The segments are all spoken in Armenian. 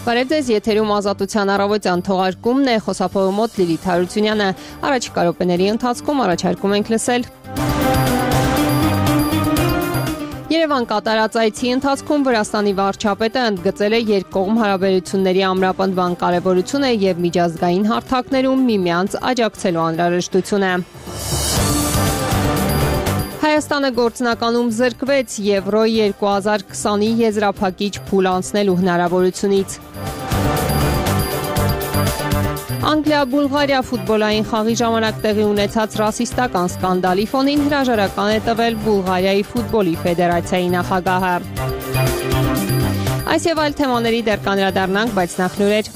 Բարև ձեզ, եթերում Ազատության առավոտյան թողարկումն է, խոսափողի մոտ Լիլիթ Հարությունյանը։ Առաջիկա րոպեների ընթացքում առաջարկում ենք լսել. Երևան կատարած այցի ընթացքում Վրաստանի վարչապետը ընդգծել է երկկողմ հարաբերությունների ամրապնդման կարևորությունը եւ միջազգային հարթակներում միմյանց աջակցելու անհրաժեշտությունը։ Հայաստանը գործնականում զրկվեց Եվրո 2020-ի եզրափակիչ փուլ անցնելու հնարավորությունից։ Անգլիա-Բուլղարիա ֆուտբոլային խաղի ժամանակ տեղի ունեցած ռասիստական սկանդալի ֆոնին հրաժարական է տվել Բուլղարիայի ֆուտբոլի ֆեդերացիայի նախագահը։ Այս եւ այլ թեմաների դեռ կանդրադառնանք, բայց նախ լուրեր։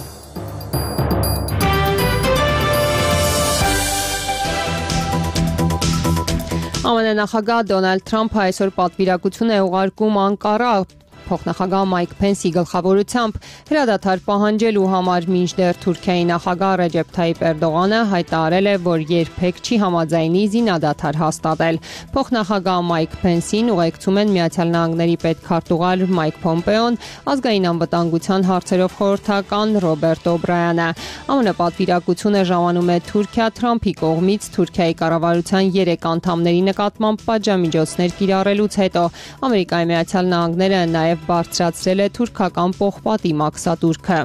ԱՄՆ նախագահ Դոնալդ Թրամփը այսօր պատվիրակություն է ուղարկում Անկարա փոխնախագահ Մայք Փենսի գլխավորությամբ հրադադար պահանջելու համար, մինչդեռ Թուրքիայի նախագահ Ռեջեփ Թայիփ Էրդողանը հայտարարել է, որ երբեք չի համաձայնի զինադադար հաստատել։ Փոխնախագահ Մայք Փենսին ուղեկցում են Միացյալ Նահանգների պետքարտուղար Մայք Փոմպեոն, ազգային անվտանգության հարցերով խորհրդական Ռոբերտ Օբրայանը։ ԱՄՆ պատվիրակությունը ժամանում է Թուրքիա Թրամփի կողմից Թուրքիայի կառավարության 3 անդամների նկատմամբ պատժամիջոցներ կիրառելուց հետո։ Ամերիկայի Միացյալ Նահանգները նաև բարձրացրել է թուրքական պողպատի մաքսատուրքը։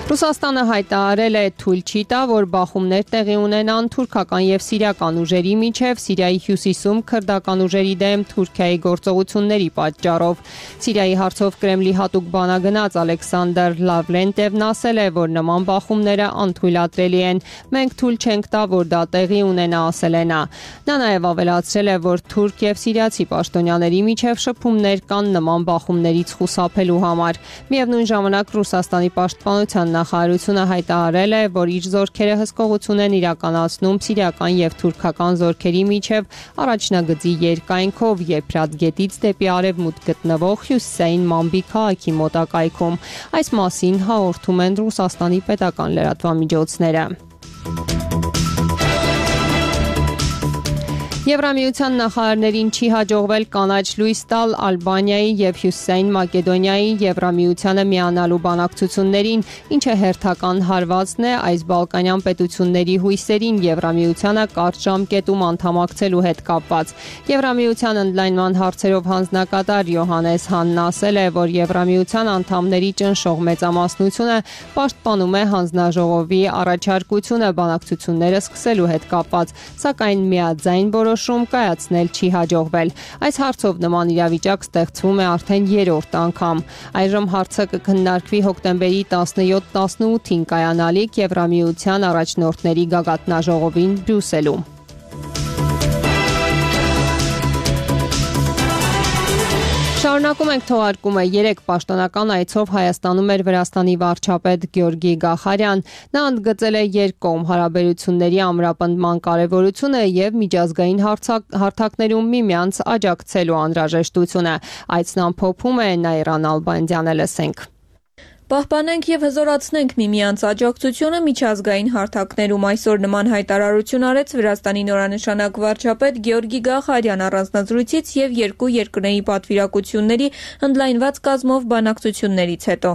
Ռուսաստանը հայտարարել է թույլ չի տա, որ բախումներ տեղի ունենան թուրքական եւ սիրիական ուժերի միջև Սիրիայի հյուսիսում քրդական ուժերի դեմ Թուրքիայի գործողությունների պատճառով։ Սիրիայի հարցով Կրեմլի հատուկ բանագնաց Ալեքսանդր Լավրենտևն ասել է, որ նման բախումները անթույլատրելի են։ Մենք թույլ չենք տա, որ դա տեղի ունենա, ասել է նա։ Նա նաև ավելացրել է, որ թուրք եւ սիրիացի պաշտոնյաների միջև շփումներ կան նման բախումներից խուսափելու համար։ Միևնույն ժամանակ Ռուսաստանի պաշտպանության նախարարությունը հայտարարել է, որ իր զորքերը հսկողություն են իրականացնում սիրիական եւ թուրքական զորքերի միջև առաջնագծի երկայնքով Եփրատ գետից դեպի արևմուտք գտնվող հյուսիսային Մամբի քաղաքի մոտակայքում։ Այս մասին հաղորդում են Ռուսաստանի պետական լրատվամիջոցները։ Եվրամիության նախարարներին չի հաջողվել կանաչ լույս տալ Ալբանիայի եւ Հյուսիսային Մակեդոնիայի Եվրամիությանը միանալու բանակցություններին, ինչը հերթական հարվածն է այս բալկանյան պետությունների հույսերին Եվրամիությանը կարճ ժամկետում անդամակցելու հետ կապված։ Եվրամիության ընդլայնման հարցերով հանձնակատար Յոհանես Հանն ասել է, որ Եվրամիության անդամների ճնշող մեծամասնությունը պաշտպանում է հանձնաժողովի առաջարկությունը բանակցությունները սկսելու հետ կապված, սակայն միաձայն կայացնել չի հաջողվել։ Այս հարցով նման իրավիճակ ստեղծվում է արդեն 3-րդ անգամ։ Այժմ հարցը կքննարկվի հոկտեմբերի 17-18-ին կայանալիք Եվրամիության առաջնորդների գագաթնաժողովին Բրյուսելում։ Շարունակում ենք թողարկումը։ 3 պաշտոնական այցով Հայաստանում էր Վրաստանի վարչապետ Գյորգի Գախարյան։ Նա ընդգծել է երկկողմ հարաբերությունների ամրապնդման կարևորությունը եւ միջազգային հարթակներում միմյանց աջակցելու անհրաժեշտությունը։ Այցն ամփոփում է Նայրան Ալբանդյանը, լսենք։ Պահպանենք եւ հզորացնենք միմյանց աջակցությունը միջազգային հարթակներում, այսօր նման հայտարարություն արեց Վրաստանի նորանշանակ վարչապետ Գյորգի Գախարյան առանձնազրույցից եւ երկու երկրների պատվիրակությունների ընդլայնված կազմով բանակցություններից հետո։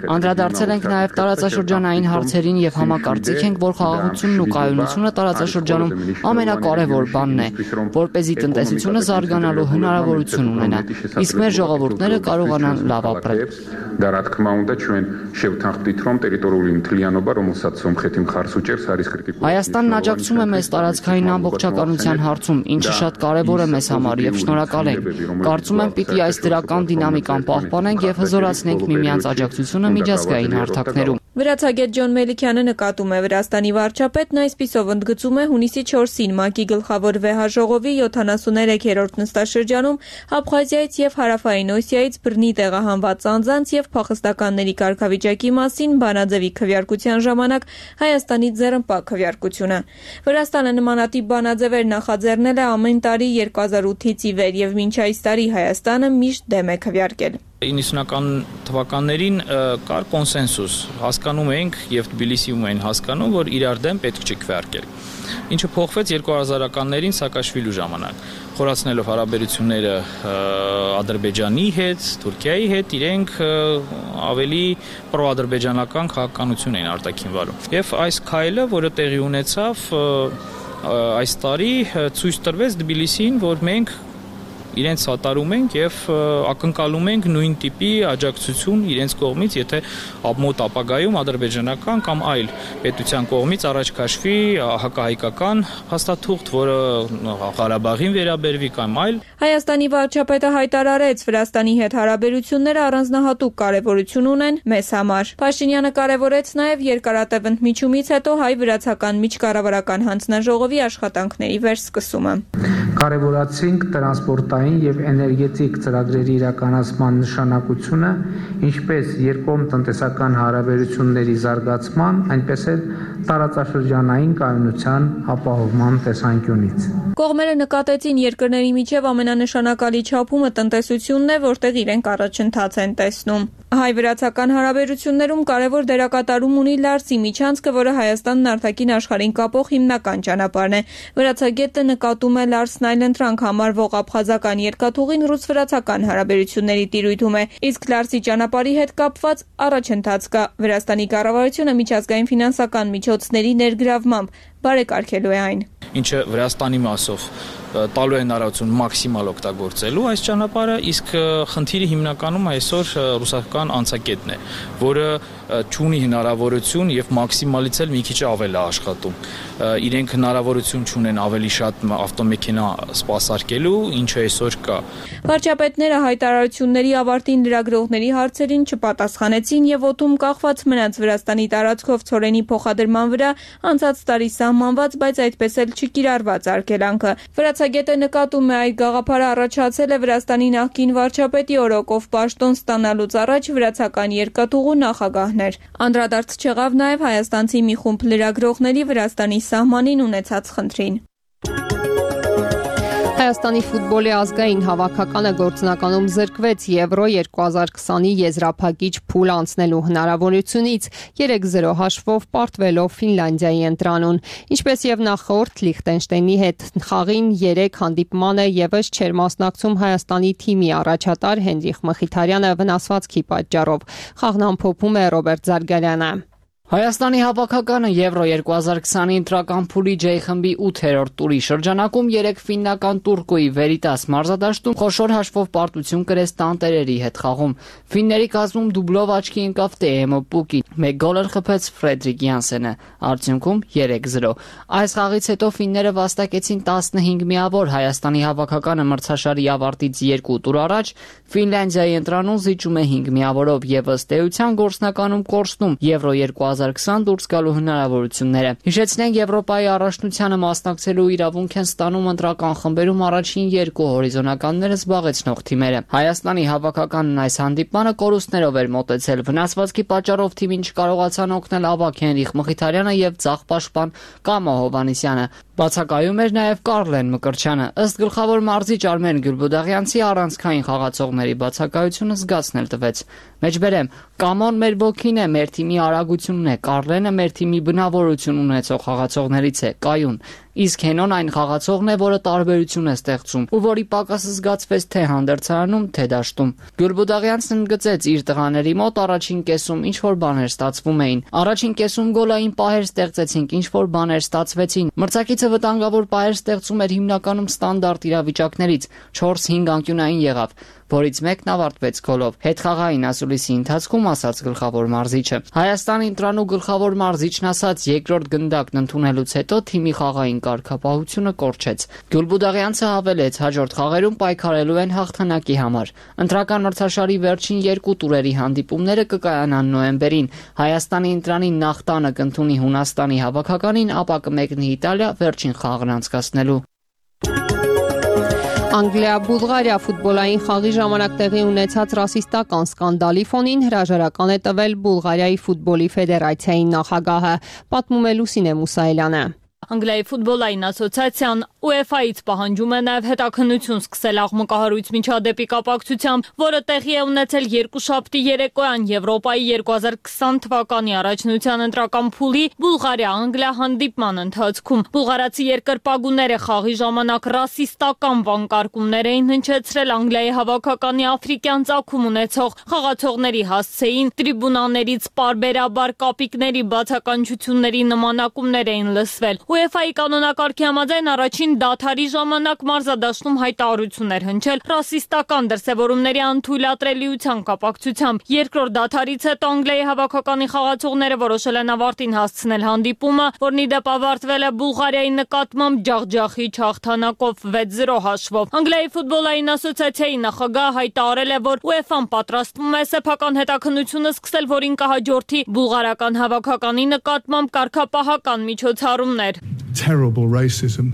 Անդրադարձել ենք նաեւ տարածաշրջանային հարցերին եւ համակարծիք ենք, որ խաղաղությունն ու կայունությունը տարածաշրջանում ամենակարևոր բանն է, որպեսզի տնտեսությունը զարգանալու հնարավորություն ունենա։ Իսկ մեր ժողովուրդները կարողանան լավ ապրել։ Հայաստանն աջակցում է մեզ տարածքային ամբողջականության հարցում, ինչը շատ կարևոր է մեզ համար եւ շնորհակալ ենք։ Կարծում եմ, պիտի այս դրական դինամիկան պահպանենք եւ հզորացնենք միմյանց աջակցությունը միջազգային հարթակներում։ Վրացագետ Ջոն Մելիքյանը նկատում է Վրաստանի վարչապետն այսպիսով ընդգծում է հունիսի 4-ին ՄԱԿ-ի գլխավոր վեհաժողովի 73-րդ նստաշրջանում Աբխազիայից եւ Հարավային Օսիայից բռնի տեղահանված անձանց եւ փախստականների կարգավիճակի մասին բանաձևի քվեարկության ժամանակ Հայաստանի ձեռնպա քվեարկությունը։ Վրաստանը նմանատիպ բանաձևեր նախաձեռնել է ամեն տարի 2008-ից ի վեր եւ մինչ այս տարի Հայաստանը միշտ դեմ է քվեարկել։ 90-ական թվականներին կար կոնսենսուս, հասկանում էինք եւ Թբիլիսիում էին հասկանում, որ իրար դեմ պետք չի քվեարկել։ Ինչը փոխվեց 2000-ականներին Սաակաշվիլու ժամանակ, խորացնելով հարաբերությունները Ադրբեջանի հետ, Թուրքիայի հետ, իրենք ավելի պրոադրբեջանական քաղաքականություն էին արտաքին վարում։ Եվ այս քայլը, որը տեղի ունեցավ այս տարի, ցույց տրվեց Թբիլիսիին, որ մենք իրենց սատարում ենք եւ ակնկալում ենք նույն տիպի աջակցություն իրենց կողմից, եթե մոտ ապագայում ադրբեջանական կամ այլ պետության կողմից առաջ քաշվի հակահայկական հաստատուղթ, որը Ղարաբաղին վերաբերվի կամ այլ։ Հայաստանի վարչապետը հայտարարեց, Վրաստանի հետ հարաբերությունները առանձնահատուկ կարևորություն ունեն մեզ համար։ Փաշինյանը կարևորեց նաեւ երկարատև ընդմիջումից հետո հայ-վրացական միջկառավարական հանձնաժողովի աշխատանքների վերսկսումը։ Կարևորացինք տրանսպորտային եւ էներգետիկ ծրագրերի իրականացման նշանակությունը, ինչպես երկկողմ տնտեսական հարաբերությունների զարգացման, այնպես էլ տարածաշրջանային կայունության ապահովման տեսանկյունից։ Կողմերը նկատեցին երկրների միջև ամենանշանակալի չափումը տնտեսությունն է, որտեղ իրենք առաջընթաց են տեսնում։ Հայ-վրացական հարաբերություններում կարևոր դերակատարում ունի Լարսի միջանցքը, որը Հայաստանն արտաքին աշխարհին կապող հիմնական ճանապարհն է։ Վրացագետը նկատում է Լարսն այլընտրանք համարվող աբխազական երկաթուղին ռուս-վրացական հարաբերությունների տիրույթում է, իսկ Լարսի ճանապարհի հետ կապված առաջընթաց կա։ Վրաստանի կառավարությունը միջազգային ֆինանսական միջոցների ներգրավմամբ բարեկարգելու է այն։ Ինչը Վրաստանի մասով տալու է հնարավորություն մաքսիմալ օգտագործելու այս ճանապարհը, իսկ խնդիրը հիմնականում այսօր ռուսական անցակետն է, որը չունի հնարավորություն եւ մաքսիմալից էլ մի քիչ ավել է աշխատում։ Իրենք հնարավորություն չունեն ավելի շատ ավտոմեքենա սպասարկելու, ինչը այսօր կա։ Վարչապետները հայտարարությունների ավարտին լրագրողների հարցերին չպատասխանեցին եւ օդում կախված մնաց Վրաստանի տարածքով ցորենի փոխադրման վրա անցած տարի սահմանված, բայց այդպես էլ չկիրառված արգելանքը։ Վրացագետը նկատում է, այդ գաղափարը առաջացել է Վրաստանի նախկին վարչապետի օրոքով պաշտոն ստանալուց առաջ վրացական երկաթուղու նախագահներ։ Անդրադարձ չեղավ նաև հայաստանցի մի խումբ լրագրողների Վրաստանի սահմանին ունեցած խնդրին։ Հայաստանի ֆուտբոլի ազգային հավաքականը գործնականում զրկվեց Եվրո 2020-ի եզրափակիչ փուլ անցնելու հնարավորությունից 3-0 հաշվով պարտվելով Ֆինլանդիայի ընտրանուն։ Ինչպես եւ նախորդ Լիխտենշտեյնի հետ խաղին 3 հանդիպմանը եւս չէր մասնակցում Հայաստանի թիմի առաջատար Հենրիխ Մխիթարյանը վնասվածքի պատճառով։ Խաղն ամփոփում է Ռոբերտ Զարգարյանը։ Հայաստանի հավաքականը Եվրո 2020-ի ընտրական փուլի J խմբի 8-րդ տուրի շրջանակում 3 ֆիննական Տուրկոյի Վերիտաս մարզադաշտում խոշոր հաշվով պարտություն կրեց տանտերերի հետ խաղում։ Ֆինների կազմում դուբլով աչքի ընկավ Տեեմո Պուկին, 1 գոլը խփեց Ֆրեդրիկ Յանսենը, արդյունքում 3-0։ Այս խաղից հետո ֆինները վաստակեցին 15 միավոր, Հայաստանի հավաքականը մրցաշարի ավարտից 2 տուր առաջ Ֆինլանդիայի ընտրանում զիջում է 5 միավորով եւ ըստ էության գործնականում կորցնում Եվրո 2020 դուրս գալու հնարավորությունները։ Հիշեցնենք, Եվրոպայի առաջնությանը մասնակցելու իրավունք են ստանում ընտրական խմբերում առաջին 2 հորիզոնականները զբաղեցնող թիմերը։ Հայաստանի հավաքականն այս հանդիպմանը կորուստներով էր մոտեցել։ Վնասվածքի պատճառով թիմին չկարողացան օգնել ավագ Հենրիխ Մխիթարյանը եւ ձախ պաշտպան Կամո Հովհաննիսյանը։ Բացակայում էր նաև Կարլեն Մկրտչյանը։ Ըստ գլխավոր մարզիչ Արմեն Գյուլբուդաղյանցի առանցքային խաղացողների բացակայությունը զգացնել տվեց։ Մեջբերեմ, Կամոն մեր ոգին է, մեր թիմի արագությունն է, Կարլենը մեր թիմի բնավորություն ունեցող խաղացողներից է, կայուն։ Իսկ Հենոն այն խաղացողն է, որը տարբերություն է ստեղծում ու որի պակասը զգացվեց թե հանդերձարանում, թե դաշտում։ Գյուլբուդաղյանցն ընդգծեց իր տղաների մոտ առաջին կեսում ինչ որ բաներ ստացվում էին։ Առաջին կեսում գոլային պահեր ստեղծեցինք, ինչ որ բաներ ստացվեցին։ Մրցակիցը վտանգավոր պահեր ստեղծում էր հիմնականում ստանդարտ իրավիճակներից, 4-5 անկյունային եղավ, որից մեկն ավարտվեց գոլով։ Հետխաղային ասուլիսի ընթացքում ասաց գլխավոր մարզիչը։ Հայաստանի ընտրանու գլխավոր մարզիչն ասաց, երկրորդ գնդակն ընդունելուց հետո թիմի խաղային կարգապահությունը կորչեց։ Գյուլբուդաղյանցը հավելեց, հաջորդ խաղերում պայքարելու են հաղթանակի համար։ Ընտրական մրցաշարի վերջին 2 տուրերի հանդիպումները կկայանան նոյեմբերին։ Հայաստանի ընտրանի նախ տանը կընդունի Հունաստանի հավաքականին, ապա կմեկնի Իտալիա վերջին խաղն անցկացնելու։ Անգլիա-Բուլղարիա ֆուտբոլային խաղի ժամանակ տեղի ունեցած ռասիստական սկանդալի ֆոնին հրաժարական է տվել Բուլղարիայի ֆուտբոլի ֆեդերացիայի նախագահը, պատմում է Լուսինե Մուսայելյանը։ Անգլիայի ֆուտբոլային ասոցիացիան UEFA-ից պահանջում է նաև հետաքննություն սկսել աղմկահարույց միջադեպի կապակցությամբ, որը տեղի է ունեցել երկուշաբթի երեկոյան Եվրոպայի 2020 թվականի առաջնության ընտրական փուլի Բուլղարիա-Անգլիա հանդիպման ընթացքում։ Բուլղարացի երկրպագուները խաղի ժամանակ ռասիստական վանկարկումներ էին հնչեցրել Անգլիայի հավաքականի աֆրիկյան ծագում ունեցող խաղացողների հասցեին, տրիբունաներից պարբերաբար կապիկների բացականչությունների նմանակումներ էին լսվել։ UEFA-ի կանոնակարգի համաձայն առաջին դադարի ժամանակ մարզադաշտում հայտարարություններ հնչել ռասիստական դրսևորումների անթույլատրելիության կապակցությամբ։ Երկրորդ դադարից հետո Անգլիայի հավաքականի խաղացողները որոշել են ավարտին հասցնել հանդիպումը, որն ի դեպ ավարտվել է Բուլղարիայի նկատմամբ ջախջախիչ հաղթանակով 6-0 հաշվով։ Անգլիայի ֆուտբոլային ասոցիացիայի նախագահը հայտարարել է, որ UEFA-ն պատրաստվում է սեփական հետաքննությունը սկսել, որին կհաջորդի բուլղարական հավաքականի նկատմամբ կարգապահական միջոցառումներ։ Terrible racism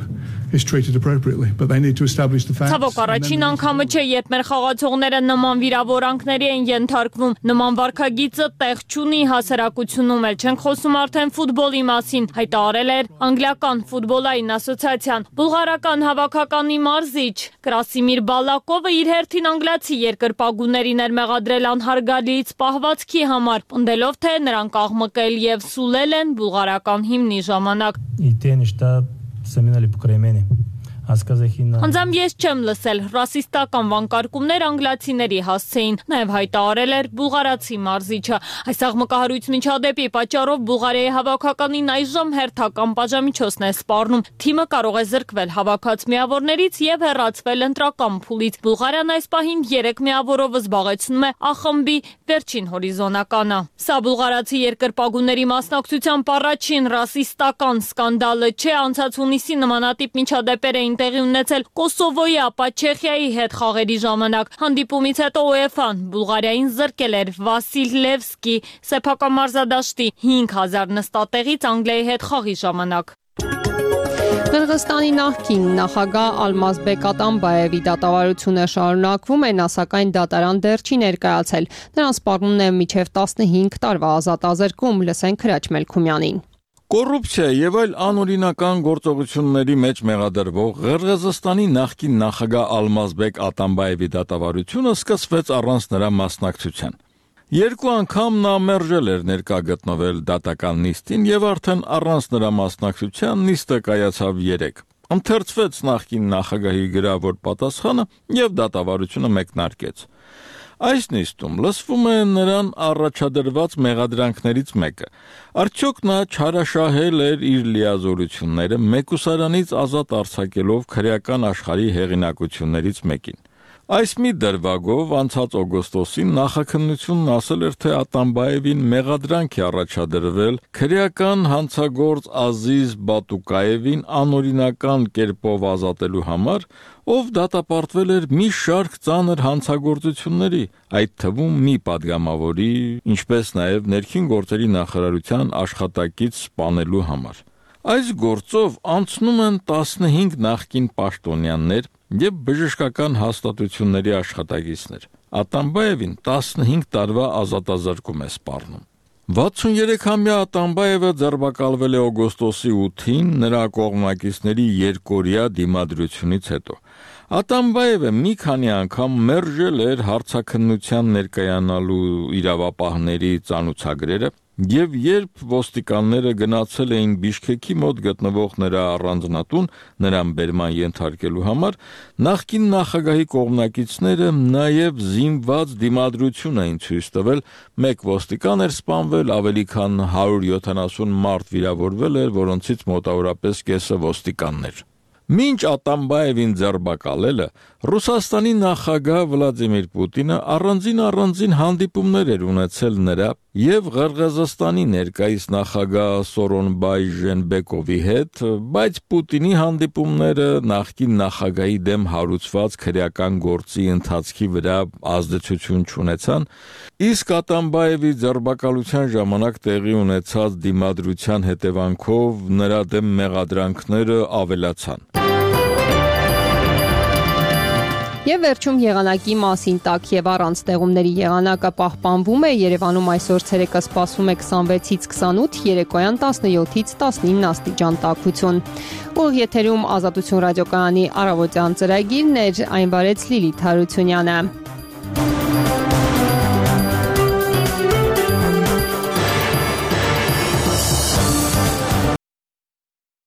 is treated appropriately, but they need to establish the facts. Ցավոք առաջին անգամը չէ, երբ մեր խաղացողները նման վիրավորանքների են ենթարկվում։ Նման վարքագիծը տեղ չունի հասարակությունում, էլ չենք խոսում արդեն ֆուտբոլի մասին, հայտարարել էր անգլիական ֆուտբոլային ասոցիացիան։ Բուլղարական հավաքականի մարզիչ Կրասիմիր Բալակովը իր հերթին անգլիացի երկրպագուներին էր մեղադրել անհարգալից պահվածքի համար, պնդելով, թե նրանք աղմկել եւ սուլել են բուլղարական հիմնի ժամանակ։ Անձամբ ես չեմ լսել ռասիստական վանկարկումներ անգլիացիների հասցեին, նաև հայտարարել էր բուլղարացի մարզիչը։ Այս աղմկահարույց միջադեպի պատճառով Բուլղարիայի հավաքականին այժմ հերթական պատժամիջոցն է սպառնում։ Թիմը կարող է զրկվել հավաքած միավորներից եւ հեռացվել ընտրական փուլից։ Բուլղարիան այս պահին 3 միավորով զբաղեցնում է A խմբի վերջին հորիզոնականը։ Սա բուլղարացի երկրպագուների մասնակցությամբ առաջին ռասիստական սկանդալը չէ, անցած հունիսի նմանատիպ միջադեպեր էին տեղի ունեցել Կոսովոյի, ապա Չեխիայի հետ խաղերի ժամանակ։ Հանդիպումից հետո UEFA-ն Բուլղարիային զրկել էր Վասիլ Լևսկի սեփական մարզադաշտի 5000 նստատեղից Անգլիայի հետ խաղի ժամանակ։ Qırğızstani նախկին նախագահ Ալմազբեկ Ատամբաևի դատավարությունը շարունակվում է, նա սակայն դատարան դեռ չի ներկայացել։ Նրան սպառնում է մինչև 15 տարվա ազատազրկում, լսենք Քրաչ Մելքումյանին։ Կոռուպցիա եւ այլ անօրինական գործողությունների մեջ մեղադրվող Ղրղըզստանի նախկին նախագահ Ալմազբեկ Ատամբաևի դատավարությունը սկսվեց առանց նրա մասնակցության։ Երկու անգամ նա մերժել էր ներկա գտնվել դատական նիստին եւ արդեն առանց նրա մասնակցության նիստը կայացավ 3։ Ընթերցվեց նախկին նախագահի գրավոր պատասխանը եւ դատավարությունը մեկնարկեց։ Այս նիստում լսվում է նրան առաջադրված մեղադրանքներից մեկը։ Արդյոք նա չարաշահել էր իր լիազորությունները մեկուսարանից ազատ արձակելով քրեական աշխարհի հեղինակություններից մեկին։ Այս մի դրվագով անցած օգոստոսին նախաքննությունն ասել էր, թե Ատամբաևին մեղադրանք է առաջադրվել քրեական հանցագործ Ազիզ Բատուկաևին անօրինական կերպով ազատելու համար, ով դատապարտվել էր մի շարք ծանր հանցագործությունների, այդ թվում մի падգամավորի, ինչպես նաև ներքին գործերի նախարարության աշխատակից սպանելու համար։ Այս գործով անցնում են 15 նախկին պաշտոնյաներ եւ բժշկական հաստատությունների աշխատակիցներ։ Ատամբաևին 15 տարվա ազատազրկում է սպառնում։ 63-ամյա Ատամբաևը ձերբակալվել է օգոստոսի 8-ին նրա կողմնակիցների երկօրյա դիմադրությունից հետո։ Ատամբաևը մի քանի անգամ մերժել էր հարցաքննության ներկայանալու իրավապահների ծանուցագրերը, եւ երբ ոստիկանները գնացել էին Բիշքեքի մոտ գտնվող նրա առանձնատուն նրան բերման ենթարկելու համար, նախկին նախագահի կողմնակիցները նաեւ զինված դիմադրություն էին ցույց տվել, մեկ ոստիկան էր սպանվել, ավելի քան 170 մարդ վիրավորվել էր, որոնցից մոտավորապես կեսը ոստիկաններ։ Մինչ Ատամբաևին ձերբակալելը Ռուսաստանի նախագահ Վլադիմիր Պուտինը առանձին հանդիպումներ էր ունեցել նրա եւ Ղրղըզստանի ներկայիս նախագահ Սորոնբայ Ժենբեկովի հետ, բայց Պուտինի հանդիպումները նախկին նախագահի դեմ հարուցված քրեական գործի ընթացքի վրա ազդեցություն չունեցան, իսկ Ատամբաևի ձերբակալության ժամանակ տեղի ունեցած դիմադրության հետևանքով նրա դեմ մեղադրանքները ավելացան։ Եվ վերջում եղանակի մասին տաք եւ առանց ստեղումների եղանակը պահպանվում է։ Երևանում այսօր ցերեկը սպասվում է 26-ից 28, երեկոյան 17-ից 19 աստիճան տաքություն։ Ուղիղ եթերում Ազատություն ռադիոկայանի առավոտյան ծրագիրն էր, այն վարեց Լիլիթ Հարությունյանը։